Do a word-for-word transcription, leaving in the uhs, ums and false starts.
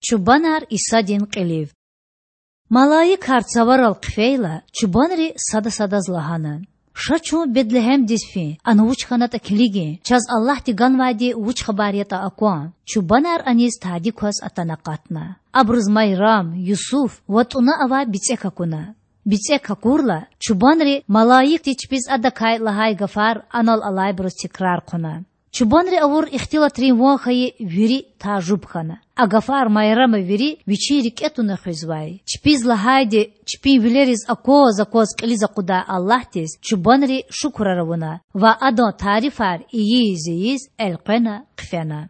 Чубанар Исадин кьилив. Малаикар цаварал хъфейла, чубанри сада садаз лагьана: Ша чун Бетлегьемдиз фин, ана вуч хьанатІа килигин, чаз Аллагьди ганвайди вуч хабар ятІа акван. Чубанар аниз тади кваз атана акъатна. Абуруз Майрам, Юсуф ва тІуна авай бицІек акуна. БицІек акурла, чубанри малаикди чпиз Адакай лагьай гафар анал алайбуруз текрар хъувуна. Чубанри авур ихтилатрин ван хьайи вири тажуб хьана. А гафар Майрама вири вичин рикІе туна хуьзвай. Чпиз лагьайди чпин вилериз акваз-акваз кьилиз акъудай Аллагьдиз чубанри шукурар авуна ва Адан тарифар ийиз-ийиз элкъвена хъфена.